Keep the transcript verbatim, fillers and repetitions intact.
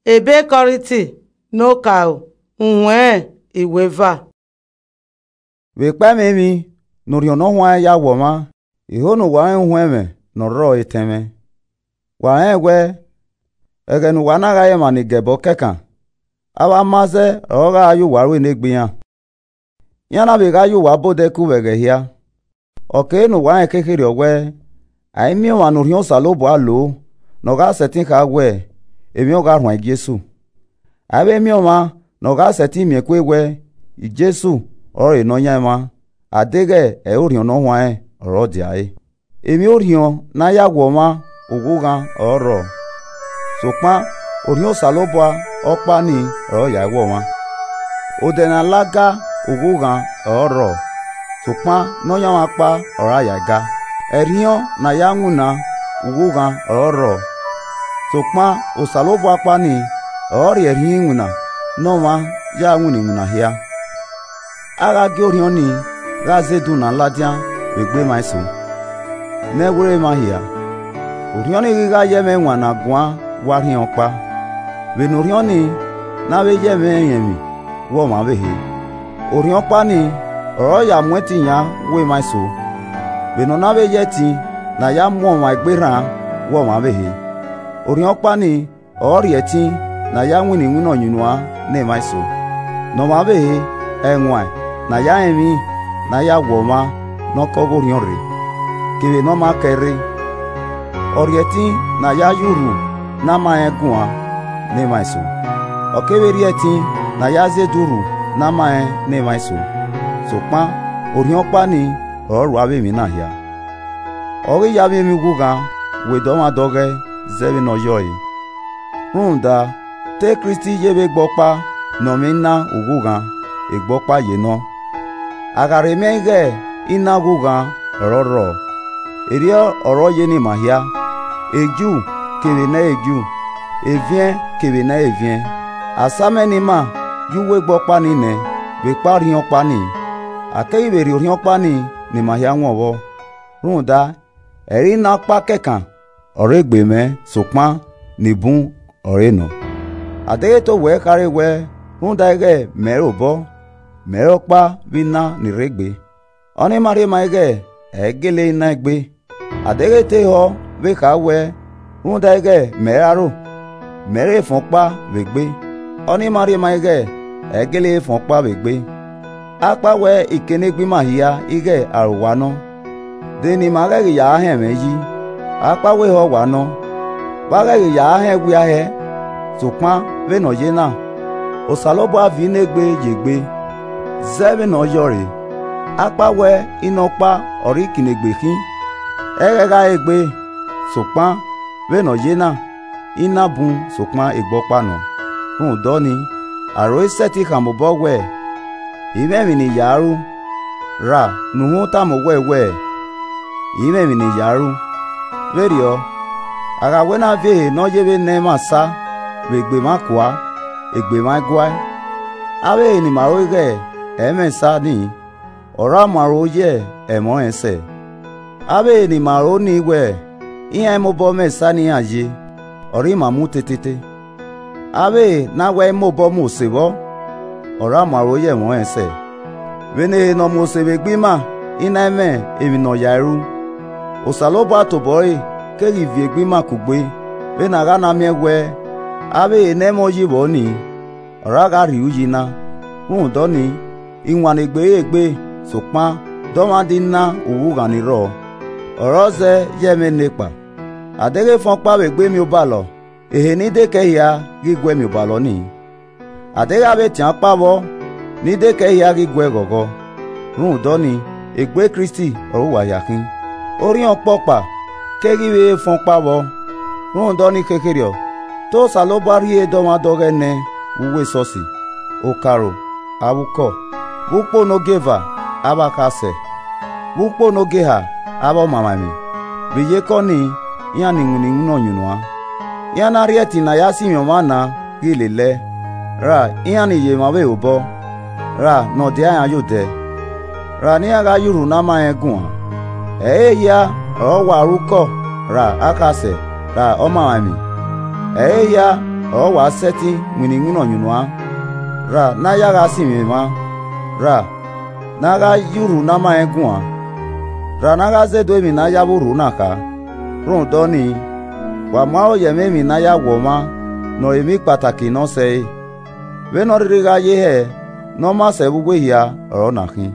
Ebe Kọriti ne okaro, uwẹn iweva. Vbe ekpa ẹmwẹ emwi ne Orhiọn Ne Ọ Huanrẹn ya wu ọmwa, iho ne uwa rẹn uhunmwu ẹmwẹ ne ọ rrọọ etẹn mwẹ. Wa rẹnrẹn wẹẹ, ẹghẹ ne uwa na gha re emwa ni ga ẹbọ kẹkan, avbe ama zẹ ọre ọ gha ye uwa ru enegbe iran. Iran na vbe gha ye uwa bọ odẹ ku vbe ẹghẹ hia. Ọ kere ne uwa rẹn khekherriọ wẹẹ, a i miẹn ọmwa ne Orhiọn Osanobua loo ne ọ gha sẹtin kha wẹẹ, emwi ọ gha rhuan Jesu. A i vbe miẹn ọmwa ne ọ gha sẹtin miẹn kue wẹẹ, Jesu ọrọre Nọyaẹnmwa, a deghẹ ẹ i re Orhiọn Ne Ọ Huanrẹn ọre ọ dia ẹre. Emwi Orhiọn ne a ya wu ọmwa, ughughan ọre ọ rrọọ, sokpan Orhiọn Osanobua ọkpa nii ọre ọ ya wu ọmwa. Odẹ ne a la ga, ughughan ọre ọ rrọọ, sokpan Nọyaẹnmwa ọkpa ọre a ya ga. Ẹrhiọn ne a ya winna, ughughan ọre ọ rrọọ, sokpan Osanobua ọkpa nii ọre ọ rhie ẹrhiin iwinna ne ọmwa ya winna iwinna hia. A gha gie Orhiọn nii gha zẹ edun na ladian vbe egbe emwa eso, ne ẹi were emwa hia. Orhiọn nii ghi gha ye ẹmwẹ ẹwaẹn ne a guan wa rhiẹn ọkpa, vbene Orhiọn nii ne a vbe ye ẹmwẹ ẹrinmwi wu ọmwa ọvbehe. Orhiọn ọkpa nii ọre ọ ya mu ẹtin yan wu emwa eso, vbene ọ na vbe ye ẹtin ne a ya mu ọmwa egbe rran wu ọmwa ọvbehe. Orhiọn ọkpa nii ọre ọ rhie ẹtin ne a ya winna iwinna ọyunnuan ne emwa eso, ne ọmwa ọvbehe, ẹwaẹn ne a ya rẹn emwi ne a ya wu ọmwa ne ọ ke ọghe Orhiọn rre, kevbe ne ọ ma kẹ rre. Ọ rhie ẹtin ne a ya ye urhu ne a ma rẹn guan ne emwa eso, ọ kevbe rhie ẹtin ne a ya zẹ edun urhu ne a ma rẹn ne emwa eso, sokpan Orhiọn ọkpa nii ọre ọ ru avbe emwi na hia. Ọ ghi ya miẹn emwi ughughan, wẹ dọmwadẹ ọghẹe zẹ vbene ọ yọe. Rhunmwuda, te Kristi ye vbe egbe ọkpa ne ọ mwẹ ina ughughan, egbe ọkpa ye nọ. A gha rhe miẹn ighẹ ina ughughan ọre ọ rrọọ, erriọ ọre ọ ye ne ima hia, Ju kevbe ne ẹ i re Ju, eviẹn kevbe ne ẹ i re eviẹn. Asaimẹ ne ima ye uwu egbe ọkpa nii nẹ, vbe ekpa Orhiọn ọkpa nii, a keghi vbe rhie Orhiọn ọkpa nii ne ima hia wọn vbọ. Rhunmwuda, ẹ i re ina ọkpa kẹkan ọre egbe mwẹ, sokpan ne bun ọre nọ. A deghẹ te owẹ khare wẹẹ, rhunmwuda ighẹ mẹ i re obọ, mẹ i re ọkpa vbe ina ni rre egbe, ọnii ma rhie maa ighẹ ẹ i gele re ina egbe. A deghẹ te ehọ vbe kha wẹẹ, rhunmwuda ighẹ mẹ i re aro, mẹ i re efọn ọkpa vbe egbe, ọnii ma rhie maa ighẹ ẹ i gele re efọn ọkpa vbe egbe. Akpawẹ I ke ne egbe ima hia ighẹ aro wa nọ, de ne ima ghẹghe ya họn ẹmwẹ yi, akpawẹ ehọ wa nọ, vbe a ghẹghe ya họn ẹwia hẹ? Sokpan vbene ọ ye na, Osanobua viọ inegbe ye egbe, zẹ vbene ọ yọe re. Akpawẹ inọkpa ọre ikinnegbe khin, ẹghẹ gha re egbe, sokpan vbene ọ ye na, ina bun sokpan egbe ọkpa nọ. Rhunmwuda ọnii, aro i sẹtin khama obọ wẹẹ, I i mwẹ emwi ne I ya ru, ra ne uhunmwu tama owẹ wẹẹ, I i mwẹ emwi ne I ya ru. Vberriọ, a gha wẹ ne a viọ ehe ne ọ ye vbe nẹ emwa esa vbe egbe emwa kua, egbe emwa i guae. Avbe ehe ne ima ro ighẹ ẹ i mwẹ esa nii, ọre a muaro ye ẹmwẹ ọnrẹn sẹ. Avbe ehe ne ima ro nii wẹẹ, iran i mobọ mwẹ esa ne iran ye, ọre ima mu tetete. Avbe ehe ne a wẹẹ i mobọ mu ose vbọ, ọre a muaro ye ẹmwẹ ọnrẹn sẹ. Vbene ehe ne ọ mu ose vbe egbe ima i na i mwẹ emwi ne ọ ya ẹe ru, Osanobua tobọ ẹre keghi viọ egbe ima kugbe, vbene a gha na miẹn wẹẹ, avbe ehe ne ẹ i mwẹ uyi vbọ nii, ọre a gha rhie uyi na. Rhunmwuda ọnii, iwannegbe i re egbe, sokpan dọmwadẹ ina ughughan ni rrọọ, ọre ọ zẹ ye ẹmwẹ nekpa. A deghẹ efọn ọkpa vbe egbe mian obalọ, ehe ne I dekẹe hia ghi guẹ mian obalọ nii. A deghẹ avbe etian ọkpa vbọ ne I dekẹe hia ghi guẹ ghọghọ, rhunmwuda ọnii, egbe Kristi ọre uwa hia khin. Orhiọn ọkpa ọkpa keghi vbe efọn ọkpa vbọ. Rhunmwuda ọnii khekherriọ, te Osanobua rhie dọmwadẹ ọghẹe nẹ vbe uwu esọsi, okaro, avbe ukọ, vbe ukpo ne ogieva, avbe akhasẹ, vbe ukpo ne ogieha, avbe ọmamwaemwi, vbe iyeke ọnii, iran ni winna iwinna ọyunnuan. Iran na rhie ẹtin ne a ya sinmwi ọmwa na ghi lele ẹe, ra iran ni ye emwa ọvbehe obọ, ra ne ọ dia iran ye odẹ, ra ne iran gha ye urhu ne a ma rẹn guan. Ẹ i re ehia ọre ọ wa ru ukọ, ra akhasẹ, ra ọmamwaemwi. Ẹ i re ehia ọre wa sẹtin winna iwinna ọyunnuan, ra ne a ya gha sinmwi emwa, ra ne a gha ye urhu ne a ma rẹn guan, ra ne a gha zẹdẹ emwi ne a ya vbe urhu na kha. Rhunmwuda ọnii, wa mu aro ye ẹmwẹ emwi ne a ya wu ọmwa ne ọre emhi kpataki ne ọ sẹre. Vbene ọ rhirhi gha ye hẹ ne ọ ma sẹ vbe uwu ehia ọre ọna khin.